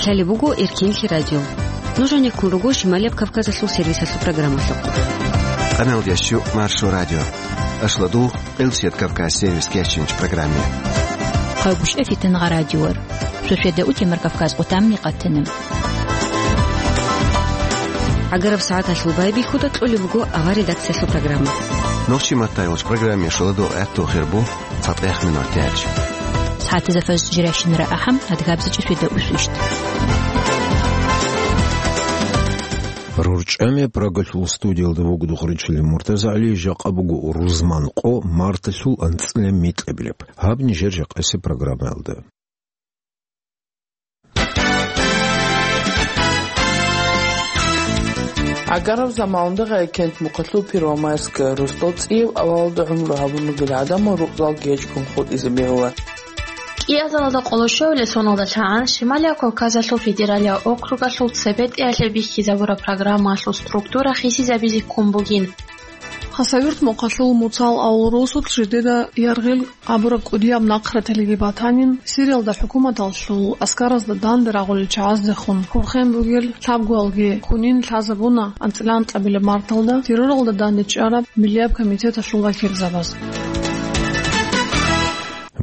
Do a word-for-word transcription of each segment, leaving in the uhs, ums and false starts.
Гьале буго Эркенлъи радио. Нуж гӀенеккун руго Шималияб Кавказалъул сервисалъул программалъухъ. Къамел ящу Маршо радио. Ашладу Къилсият Кавказ сервис кечинч программе. Хъагуш эфитан гъа радиор. Шошеда утемар Кавказ къутамни къатана. Агараб сагӀаталъул байбихьуда кьолеб буго авар редакциялъул программа. Нохчи маттайолч программе шоладо гӀатту хирбу. ЦатӀех минут тяч. СагӀатазда фажр жиращинара ахӀам, адгабзичӀи шуйда усвищт. РорчӀами Прагалъул студиялда вугдухъ ричилин МуртазагӀли, жакъа буго рузман къо, марталъул анцӀила микьабилеб. Гьаб нижер жакъасе программаялда. Агараб замалда Гъайкент мухъалъул Первомайская росдал цӀияб авалалда гӀумру гьабун ругел гӀадамал рукъзалги гьечӀгун хутӀизе бегьула. КӀиазалда къолошовле соналда лъагӀан Шималияб Кавказалъул федералияб округалъул цебетӀиялъе бихьизабураб программаялъул структура хисизабизе ккун бугин. Хасавюрт мухъалъул Муцал авул росулъ жидеда яргъил абураб кӀудияб нахъраталиги батанин, Сириялда хӀукуматалъул аскаразда данде рагъулел чагӀаздехун хурхен бугел лъабгоялги хунин лъазабуна анцӀила анкьабилеб марталда терроралда данде чӀараб Миллияб комитеталъул вакилзабаз.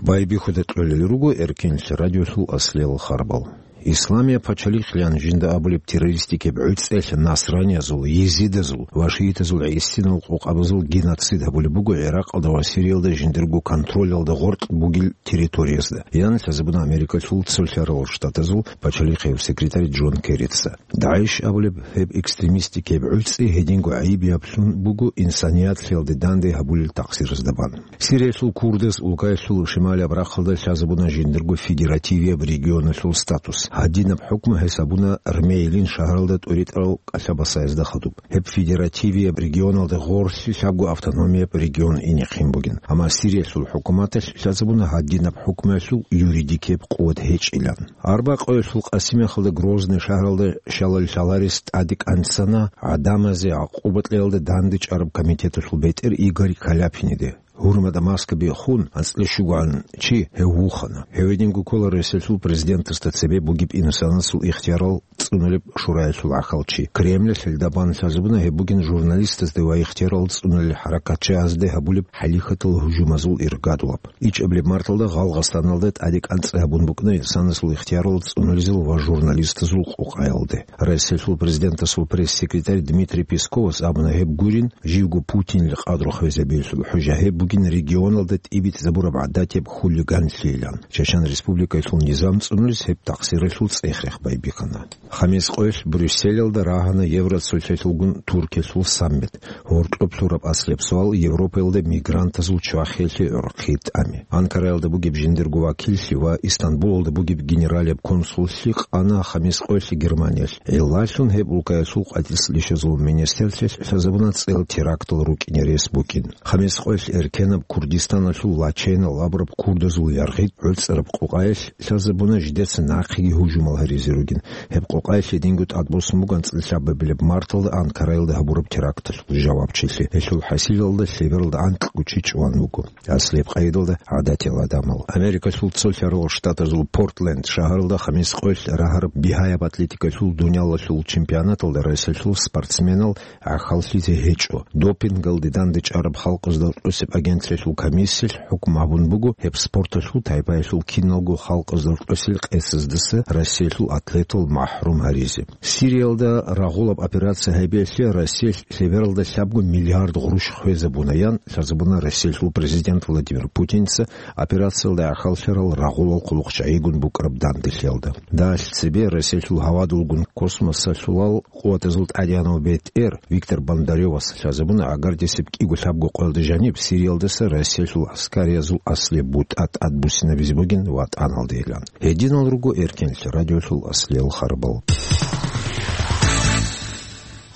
Байбихьуда кьолел руго Эркенлъи радиолъул аслиял харбал. Исламияб пачалихълъан жинда абулеб террористикеб гӀуцӀелъ насраниязул, езидазул ва шиитазул гӀисинал къокъабазул геноцид гьабулеб буго Иракъалда ва Сириялда жиндирго контролалда гъоркь бугел территориязда, ян лъазабуна Америкалъул Цолъарал Штатазул пачалихъияб секретарь Джон Керрица. ДАГӀИШ абулеб гьеб экстремистикеб гӀуцӀи гьединго гӀайиб яблъун буго инсанияталъе данде гьабулел такъсиразда бан. Сириялъул курдаз улкаялъул шималияб рахъалда лъазабуна жиндирго федеративияб регионалъул статус. Гьадинаб хӀукму гьесабуна Рмейлин шагьаралда тӀуритӀарал кӀалъабасаязда хадуб. Гьеб федеративияб регионалда гъорлъи лъабго автономияб регион инехъин бугин. Амма Сириялъул хӀукуматалъ лъазабуна гьадинаб хӀукмуялъул юридикияб къуват гьечӀилан. Арбакъоялъул Къасимехалда Грозный шагьаралда щалал лъаларес тӀаде кӀанцана гӀадамазе гӀакъуба кьеялда данде чӀараб комитеталъул бетӀер Игорь Каляпиниде. Гьурмада маска биххун, анцӀила щугоан чи гьев вухана. Гьев гьединго ккола Росиялъул президентасда цебе бугеб инсанасул ихтиярал цӀунулеб шураялъул гӀахьалчи. Кремлалъ гьелда бан лъазабуна гьеб бугин журналистазде ва ихтиярал цӀунулел хӀаракатчагьазде гьабулеб хӀалихьатал гьужумазул иргадулаб. ИчӀабилеб марталда Гъалгъастаналда тӀаде кӀанцӀи гьабун букӀана инсанасул ихтиярал цӀунулезул ва журналистазул къокъаялде. Росиялъул президентасул пресс-секретарь Дмитрий Песковас абуна гьеб гурин, живго Путинил къадру хвезабиялъул хӀужа гьеб бугин регионалда тӀибитӀзабураб гӀадатияб хулиганлъийилан. Чечен Республикаялъул низам цӀунулес гьеб такъсиралъул цӀех-рех байбихьана. Хамис къоялъ Брюсселалда рагьана Евроцолъалъулгун Туркиялъул саммит. Гьоркьоб лъураб аслияб суал Европаялда мигрантазул чвахиялъе гӀорхъи тӀами. Анкараялда бугеб жиндирго вакиллъи ва Истанбулалда бугеб генералияб консуллъи къана Хамис къоялъ Германиялъ. ГӀиллалъун гьеб улкаялъул къватӀирсилищазул министрлъиялъ лъазабуна цӀел терактал рукӀине рес букӀин. Хамис къоялъ эркенаб Курдистаналъул Лаченал абураб курдазул яргъи гӀуцӀараб къокъаялъ лъазабуна жидеца нахъеги гьужумал гьаризе ругин. Гьеб къокъаялъ гьединго тӀадбуссун буго анцӀила лъабабилеб марталда Анкараялда гьабураб теракталъул жавабчилъи. Гьелъул хӀасилалда лъебералда анкьго чи чӀван вуго. Аслияб къайдалда гӀадатиял гӀадамал. Америкалъул Цолъарал Штатазул Портленд шагьаралда Хамис къоялъ рагьараб бигьаяб атлетикалъул дуниялалъул чемпионаталда Росиялъул спортсменал гӀахьаллъизе гьечӀо. Допингалде данде чӀараб халкъазда рокьосеб агенталъул комиссиялъ хӀукму гьабун буго гьеб спорталъул тайпаялъул киналго халкъазда рокьосел къецаздаса Россиялъул атлетал махӀрум гьаризе. Сириялда рагъулаб операция гьабиялъе Россиялъ лъебералда лъабго миллиард гъруш хвезабуна, ян лъазабуна Россиялъул президент Владимир Путинца операциялда гӀахьаллъарал рагъулал хъулухъчагӀигун букӀараб данделъиялда. Дагьалъ цебе Россиялъул гьавадулгун космосалъулал къуватазул тӀадегӀанав бетӀер Виктор Бондарёвас лъазабуна гӀагардисеб кӀиго-лъабго къоялда жаниб Сириялдаса Россиялъул гӀаскариязул аслияб бутӀа тӀадбуссинабизе бугин ВатӀаналдейилан. Гьединал руго Эркенлъи радиолъул аслиял харбал.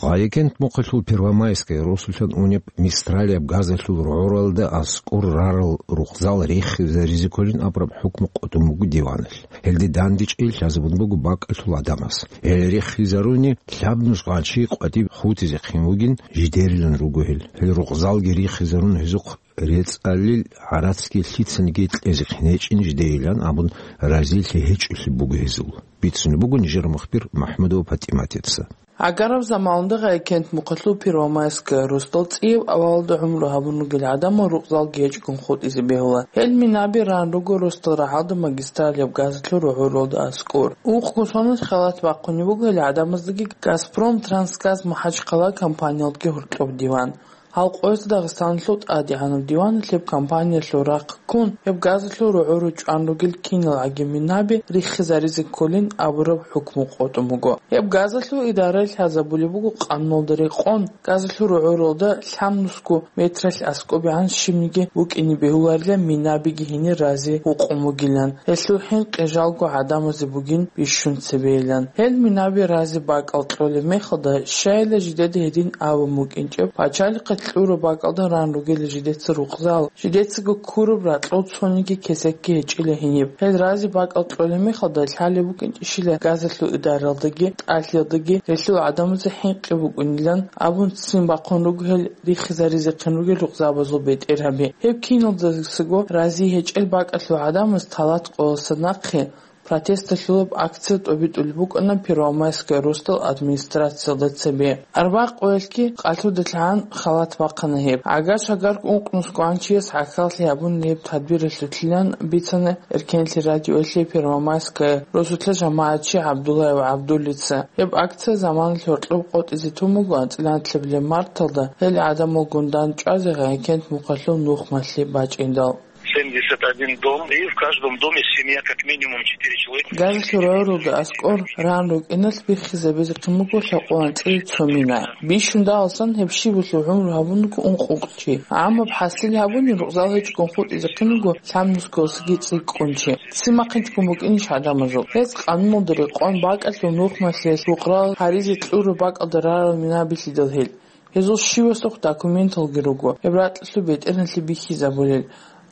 Гъайикент мухъалъул Первомайская росулъан унеб Мистралияб газалъул рогӀоралда аскӀор рарал рукъзал рехизаризе кколин абураб хӀукму къотӀун буго диваналъ. Гьелде дандечӀей лъазабун буго бакӀалъул гӀадамаз. Гьел рехизаруни, лъабнуш гъанчи къватӀиб хутизе хъин вугин жидерилан руго гьел. Гьел рукъзалги рихизарун гьезухъ рецӀалил гӀарацги лъицаниги кьезехъин гьечӀин жидейилан абун разилъи гьечӀолъи буго гьезул. Бицунеб буго нижер мухбир МахӀмудова ПатӀиматица. Агараб заманалда Гъайкент мухъалъул Первомайская росдал цӀияб авалалда гӀумру гьабун ругел гӀадамал рукъзалги гьечӀгун хутӀизе бегьула. Гьел минаби ран руго росдал рагӀалда магистраль яб газалъул рогӀоралда аскӀор. Ухъго соналъ халат бахъунеб буго гьел гӀадамаздаги «Газпром Трансгаз Махачкала» компаниялдги гьоркьоб диван. Гьал къоялъ Дагъистаналъул ТӀадегӀанаб диваналъ гьеб компаниялъул рахъ ккун, гьеб газалъул рогӀоре чӀван ругел киналгӀаги минаби риххизаризе кколин абураб хӀукму къотӀун буго. Гьеб газалъул идараялъ гьазабулеб буго къануналда рекъон, газалъул рогӀоралда лъабнусго метралъ аскӀобегӀан щибниги букӀине бегьуларила минабиги гьенир рази гьукъун бугилан. Гьелъул хӀинкъи жалго гӀадамазе бугин бищун цебейилан. Гьел минаби рази бакӀал кьолеб мехалда, щайила жидеда гьедин абун букӀинчӀеб, пачалихъе кьураб бакӀалда ран ругел жидеца рукъзал, жидецаго ккураб ракьул цониги кесекги гьечӀила гьениб. Гьел рази бакӀал кьолеб мехалда лъалеб букӀинчӀищила газалъул идаралдаги, тӀалъиялдаги гьелъул гӀадамазе хӀинкъи букӀунилан абун ццин бахъун руго гьел риххизаризехъин ругел рукъзабазул бетӀергьаби. Гьеб киналдасаго рази гьечӀел бакӀалъул гӀадамаз талат къоялъа нахъе протесталъулаб акция тӀобитӀулеб букӀана Первомайская росдал администрациялда цебе. Арбагъ къоялъги къалъудалъ гӀан халат бахъана гьеб. ГӀагар-шагар ункънусго гӀан чияс гӀахьаллъи гьабун гьеб тадбиралъулъилан бицана Эркенлъи радиоялъе Первомайская росулъа жамагӀатчи ГӀабдуллаев ГӀабдуллица. Гьеб акция заманалъ гьоркьоб къотӀизе тун буго анцӀила нилъеблъи марталда гьел гӀадамалгун дандчӀвазе Гъайкент мухъалъул нухмалъи бачӀиндал. Семьдесят один дом, и в каждом доме семья как минимум четыре человека. Газалъул рогӀоралда аскӀор ран рукӀиналъ биххизабизе хъин буго лъабкъоялда анцӀила цо мина. Бищун дагьалсан гьеб щибалъул гӀумру гьабун руго ункъ-ункъ чи. Амма хӀасил гьабуни рукъзал гьечӀгун хутӀизе хъин буго лъабнусгоялдасаги цӀикӀкӀун чи. Ццин бахъинчӀгун букӀинищ гӀадамазул? Гьез къануналда рекъон бакӀалъул нухмалъиялъ рукъзал гьаризе кьураб бакӀалда рарал минабилъидал гьел. Гьезул щивасухъ документалги руго, гьеб ракьалъул бетӀергьанлъи бихьизабулел,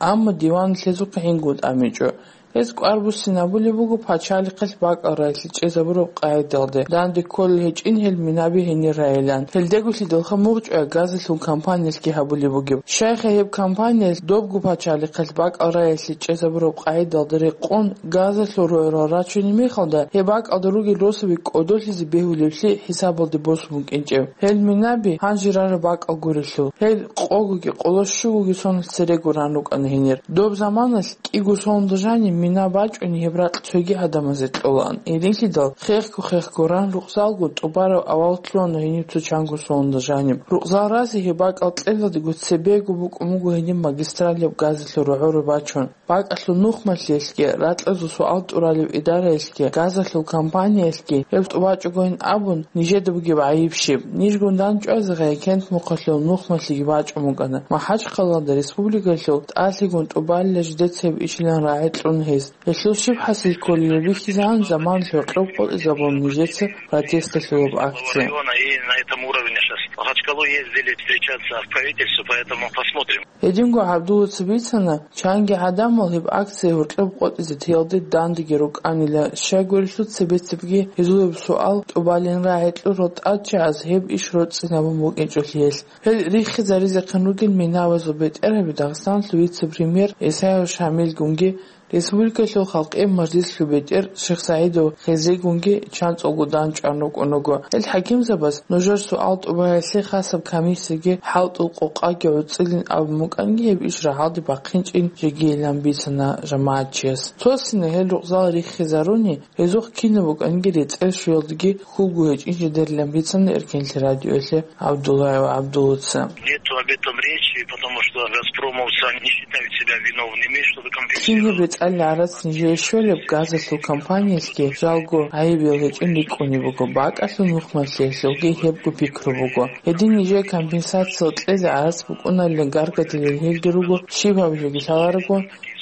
амма диван гьезухъе гӀингун тӀамичӀо. Гьез кӀвар буссинабулеб буго пачалихъалъ бакӀал раялъе чӀезабураб къагӀидалде, данде кколел гьечӀин гьел минаби гьенир райилан. Гьелдеголъидалха мугъчӀвай газалъул компаниялъги гьабулеб бугеб. Щайха гьеб компаниялъ добго пачалихъалъ бакӀал раялъе чӀезабураб къагӀидалда рекъон газалъул рогӀорал рачунеб мехалда, гьеб бакӀалда ругел росаби кӀодолъизе бегьулеблъи хӀисабалде босун букӀинчӀеб. Гьел минаби гьанже рараб бакӀал гурелъул, гьел къогоги къоло щугоги соналъ церего ран рукӀана гьенир. Доб заманалъ кӀиго соналда жаниб мина бачӀунеб гьеб ракь цоги гӀадамазе кьолаан. Гьединлъидал хехго-хехго ран рукъзалго тӀубараб авал лъугьана гьениб цо чанго соналда жаниб. Рукъзал рази гьеб бакӀал кьелалдего цебего букӀун буго гьениб магистраль яб газалъул рогӀоре бачун. БакӀалъул нухмалъиялъги, ракьазул суал тӀуралев идараялъги, газалъул компаниялъги гьеб тӀубачӀогойин абун, нижеда бугеб гӀайиб щиб? Нижгун дандчӀвазе Гъайкент мухъалъул нухмалъиги бачӀун букӀана. МахӀачхъалаялда республикалъул тӀалъигун тӀубалила жидеца гьеб ишилан рагӀи кьун гьез. Гьелъул щиб хӀасил кколеб бихьизегӀан заманалъ гьоркьоб къотӀизабун нижеца протесталъулаб акция. Района и на этом уровне сейчас. Махачкалу ездили встречаться в правительство, поэтому посмотрим. Гьединго ГӀабдуллаца бицана, чанги гӀадамал гьеб акция гьоркьоб къотӀизе теялде дандеги рукӀанила, щайгурелъул цебе-цебеги гьезулеб суал тӀубалин рагӀи кьурал тӀадчагӀаз гьеб иш роцӀцӀинабун букӀинчӀолъиялъ. Гьел риххизаризехъин ругел минабазул бетӀергьаби Дагъистаналъул вице-премьер Исаев Шамилгунги, республикалъул халкъиял мажлислъул бетӀер Шихсагьидов Хизригунги чанцӀулгун дандчӀван рукӀун руго. Гьел хӀакимзабаз нужер суал тӀубаялъе хасаб комиссияги хӀалтӀул къокъаги гӀуцӀилин абун букӀанги, гьеб иш рагӀалде бахъинчӀин жегийилан бицана жамагӀатчияс. Цо-цоцина гьел рукъзал риххизаруни, гьезухъ кинаб букӀанги рецӀел щвеялдаги хьулго гьечӀин жидерилан бицана Эркенлъи радиоялъе ГӀабдуллаев ГӀабдуллаца. Нету об этом речи, потому что газпромовцы не считают себя виновными, чтобы компенсировать. Кин гьеб рецӀалил гӀарац нижее щолеб газалъул компаниялъги жалго гӀайибиял гьечӀин рикӀкӀунеб буго, бакӀалъул нухмалъиялъулги гьебго пикру буго. Гьедин нижее компенсация кьезе гӀарац букӀуналилан гаргадилел гьелги руго, щиб гьабилеги лъаларого,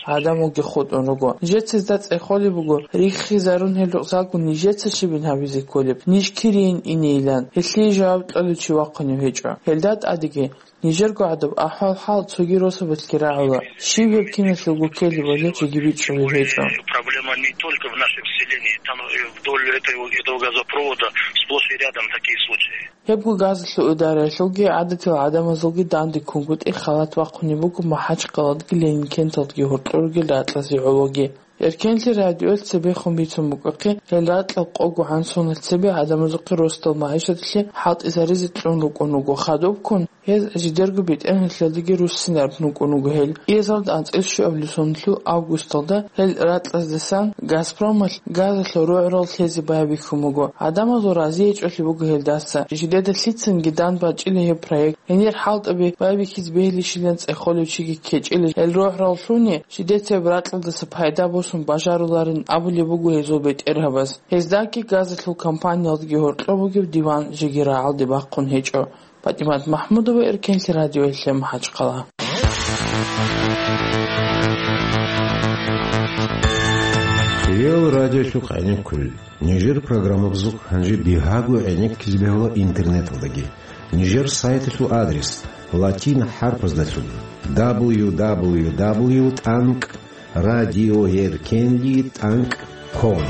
гӀадамалги хутӀун руго. Нижеца гьезда цӀехолеб буго, риххизарун гьел рукъзалго нижеца щибин гьабизе кколеб, ниж кирийин инейилан, гьелъие жаваб кьолев чи вахъунев гьечӀо. Гьелда тӀадеги, нижерго гӀадаб ахӀвал-хӀал цоги росабалъги рагӀула, щиб гьеб киналъулго ккелебали жеги бичӀчӀулеб гьечӀо. Проблема не только в нашем селе. Там, э, вдоль этого, этого газопровода сплошь и рядом такие случаи. Гьебго газалъул идараялъулги гӀадатил гӀадамазулги данде ккунгутӀи халат бахъунеб буго МахӀачкъаладги Ленинкенталдги гьоркьор ругел ракьазе гӀологи. Эркенлъи радиоялъ цебехун бицун букӀахъе, гьел ракьал къого гӀан соналъ цебе гӀадамазухъе росдал магӀишаталъе хӀалтӀизаризе кьун рукӀун руго. Хадубккун гьез жидерго бетӀергьанлъиялдаги руссинараб рукӀун руго гьел. Кьезалда анцӀила щуабилеб соналъул августалда гьел ракьаздасан Газпромалъ газалъул рогӀрал лъезе байбихьун буго. ГӀадамазул разиячӀолъи буго гьелдаса. Жидеда лъицанги дан бачӀила гьеб проект. Гьенир хӀалтӀаби байбихьизе бегьилищилан цӀехолев чиги ккечӀила гьел рогӀраллъуни, жидецаяб ракьалдаса пайда босун бажаруларин абулеб буго гьезул бетӀергьабаз. Гьездаги газалъул компаниялдаги гьоркьоб бугеб диван жеги рагӀалде бахъун гьечӀо. ПатӀимат МахӀмудова, Эркенлъи радиоялъе, МахӀачкъала. Хириял радиолъухъ гӀенеккулел. Нижер программабазухъ гьанже бигьаго гӀенеккизе бегьула интернеталдаги. Нижер сайталъул адрес латин хӀарпаздалъун: дабл ю дабл ю дабл ю тӀанкӀ радиоэркенли тӀанкӀ ком.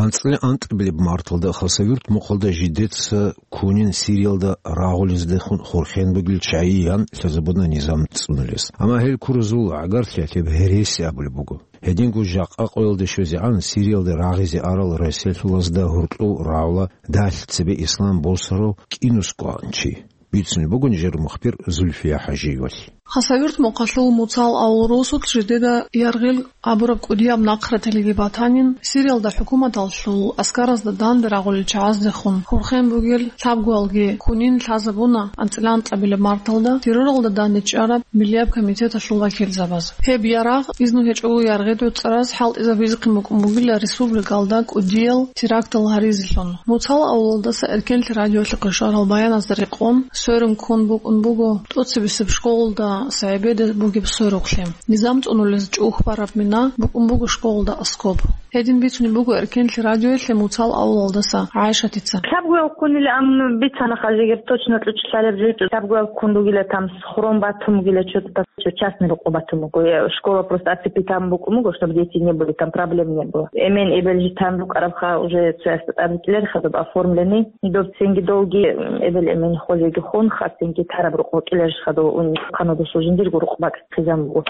АнцӀила анкьабилеб марталда Хасавюрт мухъалда жидеца кунин Сириялда рагъулездехун хурхен бугел чагӀи ян лъазабуна низам цӀунулес. Амма гьел куразул гӀагарлъиялъе гьереси абулеб буго. Гьединго жакъа къоялде щвезегӀан Сириялда рагъизе арал расилъулазда гьоркьов рагӀула далъ цебе ислам босарав кӀинусго чи. Бицунеб буго нижер мухбир Зульфия ХӀажиевалъ. Хасавюрт мухъалъул Муцал авул росулъ жидеда яргъил абураб кӀудияб нахъраталиги батанин, Сириялда хӀукуматалъул аскаразда данде рагъулел чагӀаздехун хурхен бугел лъабгоялги кунин лъазабуна анцӀила анкьабилеб марталда терроралда данде чӀараб Миллияб комитеталъул вакилзабаз. Гьеб ярагъ изну гьечӀого яргъидул цӀараз хӀалтӀизабизехъин букӀун бугила республикалда кӀудиял терактал гьаризелъун. Муцал авлалдаса Эркенлъи радиолъухъе щварал баяназда рекъон, сверун ккун букӀун буго тӀоцебесеб школалда СагӀибеде бугеб сверухълъи. Низам цӀунулез чӀухь бараб мина букӀун буго школалда аскоб. Гьедин бицунеб буго Эркенлъи радиоялъе Муцал авлалдаса ГӀайшатица. Лъабгоял ккунила, ам бицана хажигер точно ключ лъалеб жо, лъабгоял ккун ругила, там схрон батун бугила, чо-, чо-, частный рукъу батун буго. Э, школа просто оцепить там букӀун буго, чтобы дети не были, там проблем не было. Эмен эбел житан рукӀарабха уже цоясда тӀад рикӀкӀилер хадуб оформленный. Доб цинги долги, м, эбел эмен хозеги хун, ха цинги тараб рукъу кӀилер хадуб ун ханудусу жиндирго рукъ бакӀ хъизан буго.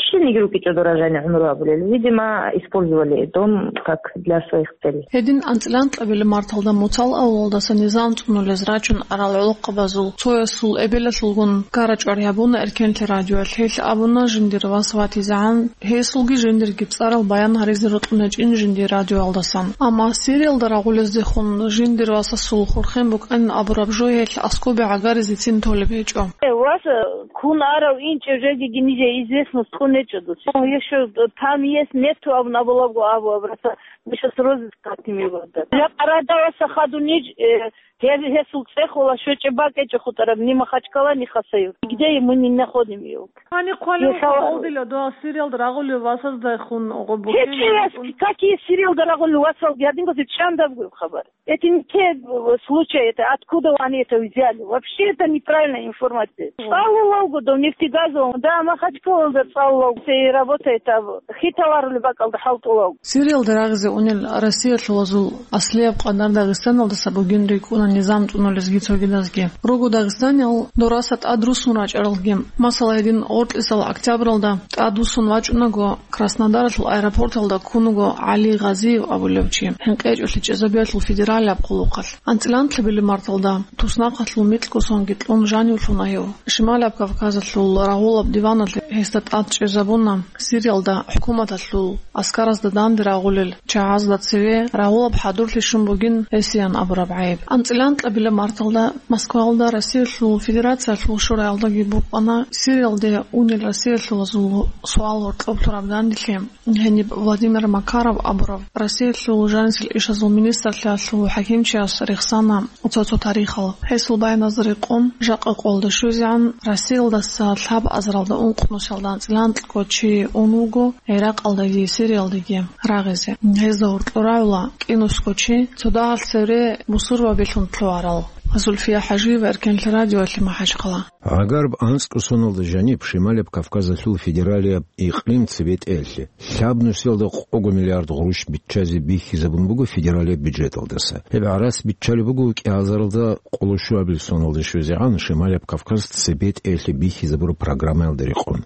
Щибниги рукӀичӀо дора жани гӀумру абулел. Видимо, использовали дом как для своих целей. Гьедин анцӀила анкьабилеб марталда Муцал авлалдаса низам цӀунулез рачун арал гӀолохъабазул цоясул эбелалъулгун ккара-чӀвар гьабуна Эркенлъи радиоялъ. Гьелъ абуна, жиндир вас ватизегӀан гьесулги жиндирги цӀарал баян гьаризе рокьун гьечӀин жиндир радиоялдасан. Амма Сириялда рагъулездехун жиндир васасул хурхен букӀанин абураб жо гьелъ аскобе гӀагаризецин толеб гьечӀо. Э, вас, э, кун арав инчӀев жеги ниже известность кьун гьечӀо дуца. О, ещё там есть, нету абун абулаго абу абраса. Миша срозы скатимевада. Я къарадаваса хадуниж, э, гье-, гьесул цӀехола щвечӀеб бакӀечӀо хутӀараб, ни Махачкала, ни Хасавюрт. Где ему не находим его? Гьани хъвалев Михаил. Хъалдила дугьал Сириялда рагъулев васаздайхун гъо букӀин. Гьечияс, какие Сириялда рагъулев васалги гьадин гьезие чандаб гуро хабар? Это не те, э, случаи, это откуда они это взяли? Вообще это неправильная информация. ЦӀалулавго до нефтегазового, да, Махачкалалда цӀалулавго. Все и работает, а хиталарули бакӀалда хӀалтӀулавго. Сириялда рагъизе унел россиялъулазул аслияб къадар Дагъистаналдаса бугин рикӀкӀуна низам цӀунулезги цогидазги. Руго дагъистаниял дораса тӀад руссун рачӀаралги. Масала, гьедин гъоркьисал октябралда тӀад вуссун вачӀунаго, Краснодаралъул аэропорталда ккун вуго ГӀали Гъазиев абулев чи, хӀинкъичӀолъи чӀезабиялъул федералияб хъулухъалъ. АнцӀила анкьабилеб марталда туснахъалъул микьго сонги кьун жанивлъуна гьев. Шималияб Кавказалъул рагъулаб диваналъ гьесда тӀад чӀезабуна Сириялда хӀукуматалъул аскаразда данде рагъулел чагӀазда цеве рагъулаб хӀадурлъи щун бугин гьесиян абураб гӀайиб. АнцӀила анкьабилеб марталда Москваялда Россиялъул Федерациялъул шураялдаги букӀана Сириялде унел россиялъулазул суал гьоркьоб лъураб данделъи. Гьениб Владимир Макаров абурав Россиялъул жанисел ишазул министрлъиялъул хӀакимчияс рехсана цо-цо тарихал. Гьесул баяназда рекъон, жакъа къоялда щвезегӀан Россиялдаса лъабазаралда ункънусиялда анцӀила анкьго чи ун вуго ГӀиракъалдаги Сириялдаги рагъизе. Гьезда гьоркьор рагӀула кӀинусго чи, цо дагьалъ цевре бусурбабилъун лъугьарал. Зульфия ХӀажиева, Эркенлъи радиоялъе, МахӀачхъала. Гьагараб анцӀго соналда жаниб Шималияб Кавказалъул федералияб икълим цебетӀеялъе лъабнусиялда къого миллиард гъурущ биччазе бихьизабун буго федералияб бюджеталдаса. Гьеб гӀарац биччалеб буго кӀиазаралда къолошуабил соналда щвезегӀан Шималияб Кавказ цебетӀеялъе бихьизабураб программаялда рекъон.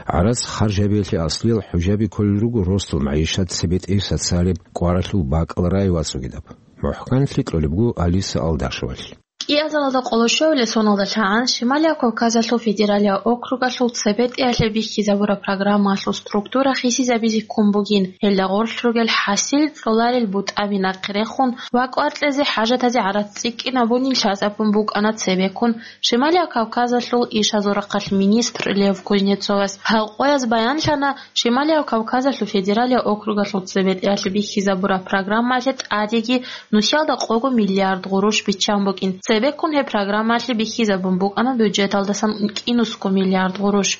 ГӀарац харж гьабиялъе аслиял хӀужаби кколел руго росдал магӀишат цебетӀей социалияб кӀваралъул бакӀал рай вацӀцӀугидаб. МухӀканлъи кьолеб буго Алиса Алдашевалъ. КӀиазалда къолошуабилеб соналда лъагӀан Шималияб Кавказалъул федералияб округалъул цебетӀеялъе бихьизабураб программаялъул структура хисизабизе ккун бугин, гьелда гъорлъ ругел хӀасил кьоларел бутӀаби нахъе рехун ва кӀвар кьезе хӀажатазе гӀарац цӀикӀкӀинабунин лъазабун букӀана цебеккун Шималияб Кавказалъул ишазул рахъалъ министр Лев Кузнецовас. Гьал къояз баянлъана, Шималияб Кавказалъул федералияб округалъул цебетӀеялъе бихьизабураб программаялъе тӀадеги нусиялда къого миллиард гъурущ биччан букӀин. Цебеккун гьеб программаялъе бихьизабун букӀана бюджеталдасан кӀинусго миллиард гъурущ.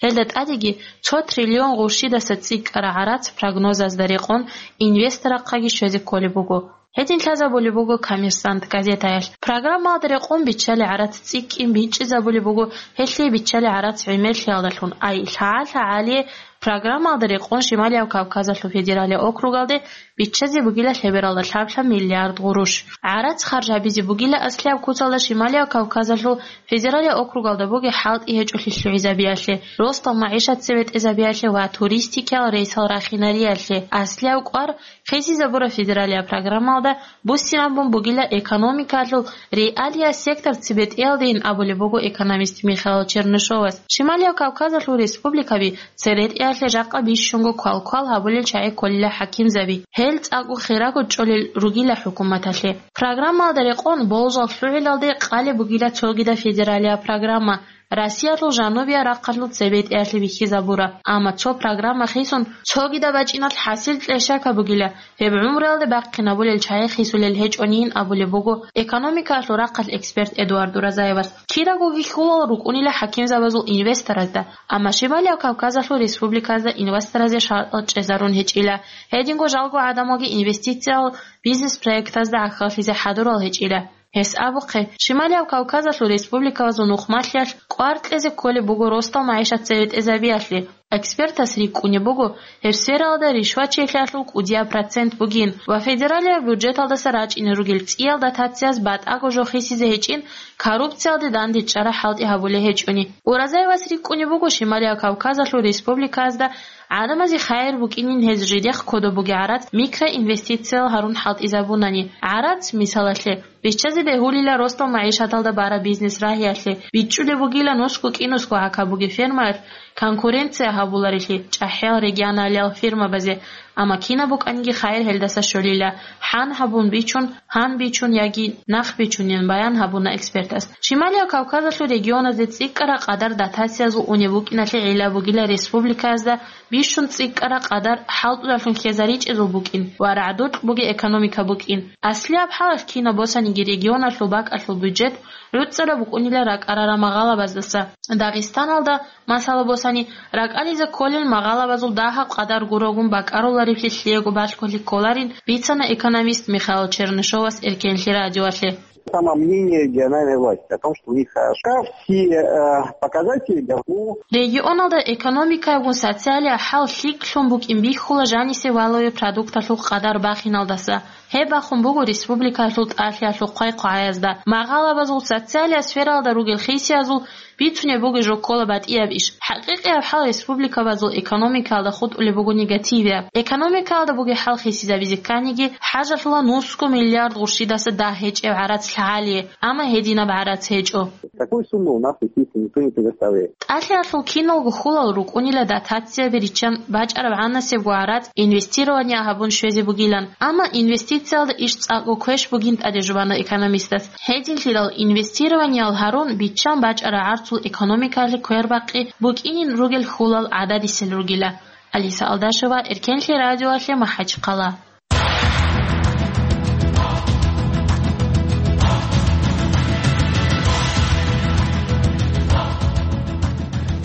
Гьелда тӀадеги цо триллион гъурщидаса цӀикӀкӀараб гӀарац прогнозазда рекъон инвесторахъаги щвезе кколеб буго. Гьедин лъазабулеб буго «Коммерсант» газетаялъ. Программаялда рекъон биччалел гӀарац цӀикӀкӀин бичӀчӀизабулеб буго, гьелъие биччалел гӀарац гӀемерлъиялдалъун, ай лъагӀал-лъагӀалие программаялда рекъон Шималияб Кавказалъул федералияб округалде биччазе бугила лъебералда лъаб-лъаб миллиард гъурущ. ГӀарац харж гьабизе бугила аслияб куцалда Шималияб Кавказалъул федералияб округалда бугеб хӀалтӀи гьечӀолъи лъугӀизабиялъе, росдал магӀишат цебетӀезабиялъе ва туристикиял рейсал рахинариялъе. Аслияб кӀвар хисизабураб федералияб программаялда буссинабун бугила экономикалъул реалияс сектор цебетӀеялдейин абулеб буго экономист Михаил Чернышовас. Шималияб Кавказалъул республикаби церетӀеялъе жакъа бищунго квалквал гьабулел чагӀи кколила хӀакимзаби. Гьел цӀакъго хирого чӀолел ругила хӀукуматалъе. Программаялда рекъон болжал лъугӀиналде къалеб бугила цогидаб федералияб программа, Россиялъул жанубияб рахъалъул цебетӀеялъе бихьизабураб. Амма цо программа хисун, цогидаб бачӀиналъ хӀасил кьешака бугила, гьеб гӀумруялде бахъинабулел чагӀи хисулел гьечӀонин абулеб буго экономикаялъул рахъалъ эксперт Эдуард Уразаевас. Кирагоги хьулал рукӀунила хӀакимзабазул инвесторазда, амма Шималияб Кавказалъул республиказда инвесторазе шартӀал чӀезарун гьечӀила. Гьединго жалго гӀадамалги инвестициял бизнес-проектазда гӀахьаллъизе хӀадурал гьечӀила. Гьес абухъе, Шималияб Кавказалъул республикабазул нухмалъиялъ кӀвар кьезе кколеб буго росдал магӀишат церетӀезабиялъе. Экспертас рикӀкӀунеб буго, гьеб сфералда ришвачилъиялъул кӀудияб процент бугин ва федералияб бюджеталдаса рачӀине ругел цӀиял дотацияз батӀаго жо хисизе гьечӀин, коррупциялде дандечӀараб хӀалтӀи гьабулеб гьечӀони. Уразаевас рикӀкӀунеб буго, Шималияб Кавказалъул республикаязда гӀадамазе хайир букӀинин гьез жидехъ кодоб бугеб гӀарац микроинвестициял гьарун хӀалтӀизабунани. ГӀарац, мисалалъе, Биччазе бегьулила росдал магӀишаталда бараб бизнес рагьиялъе, бичӀчӀулеб бугила нусго-кӀинусго гӀака бугеб фермаялъ конкуренция гьабуларелъи чӀахӀиял регионалиял фермабазе, амма кинаб букӀаниги хайир гьелдаса щолила, хӀан гьабун бичун, гьан бичун яги нах бичунин баян гьабуна экспертас. Шималияб Кавказалъул регионазде цӀикӀкӀараб къадар дотациязул унеб букӀиналъе гӀилла бугила республикаязда бищун цӀикӀкӀараб къадар хӀалтӀудалъун хьезаричӀезул букӀин ва рагӀдукь бугеб экономика букӀин. Аслияб хӀалалъ кинаб босаниги регионалъул бакӀалъул бюджет гӀуцӀараб букӀунила ракӀарарал магъалабаздаса. Дагъистаналда, масала босани, ракӀализе кколел магъалабазул дагьаб къадар гурогун бакӀаруларевлъи лъиего балъголъи кколарин, бицана экономист Михаил Чернышовас Эркенлъи радиоялъе. Самомнение региональной власти о том, что у них хорошо. Все, э, показатели, да, ну. Регионалда экономикаягун социалияб хӀал лъикӀлъун букӀин бихьула жанисе валаве продукталъул къадар бахиналдаса. Гьеб бахун буго республикалъул тӀалъиялъул хъвай-хъвагӀаязда. Магъалабазул социалияб сфералда ругел хисиязул бицунеб бугеб жо ккола батӀияб иш. ХӀакъикъияб хӀал республикабазул экономикаялда хутӀулеб буго негативияб. Экономикаялда бугеб хӀал хисизабизе кканиги, хӀажалъула нусго миллиард гъурщидаса дагь гьечӀеб гӀарац лъагӀалие, амма гьединаб гӀарац гьечӀо. Такой суммы у нас, естественно, никто не предоставляет. ТӀалъиялъул киналго хьулал рукӀунила дотацияби риччан бачӀараб гӀанасебго гӀарац инвестирование гьабун щвезе бугилан. Амма инвестициялда иш цӀакъго квеш бугин тӀаде жубана экономистас. Гьединлъидал инвестированиял гьарун биччан бачӀараб гӀарцул экономикалъе квербакъи букӀинин ругел хьулал гӀададисел ругила. Алиса Алдашева, Эркенлъи радиоялъе, МахӀачхъала.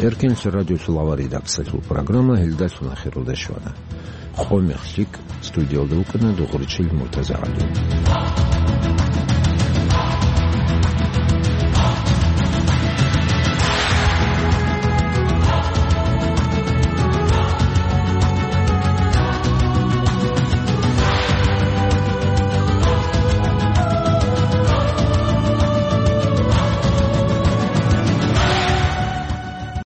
Эркенлъи радиолъул авар редакциялъул программа гьелдалъун ахиралде щвана. Къо мех лъикӀ, студиялда вукӀана Дугъричил МуртазагӀали.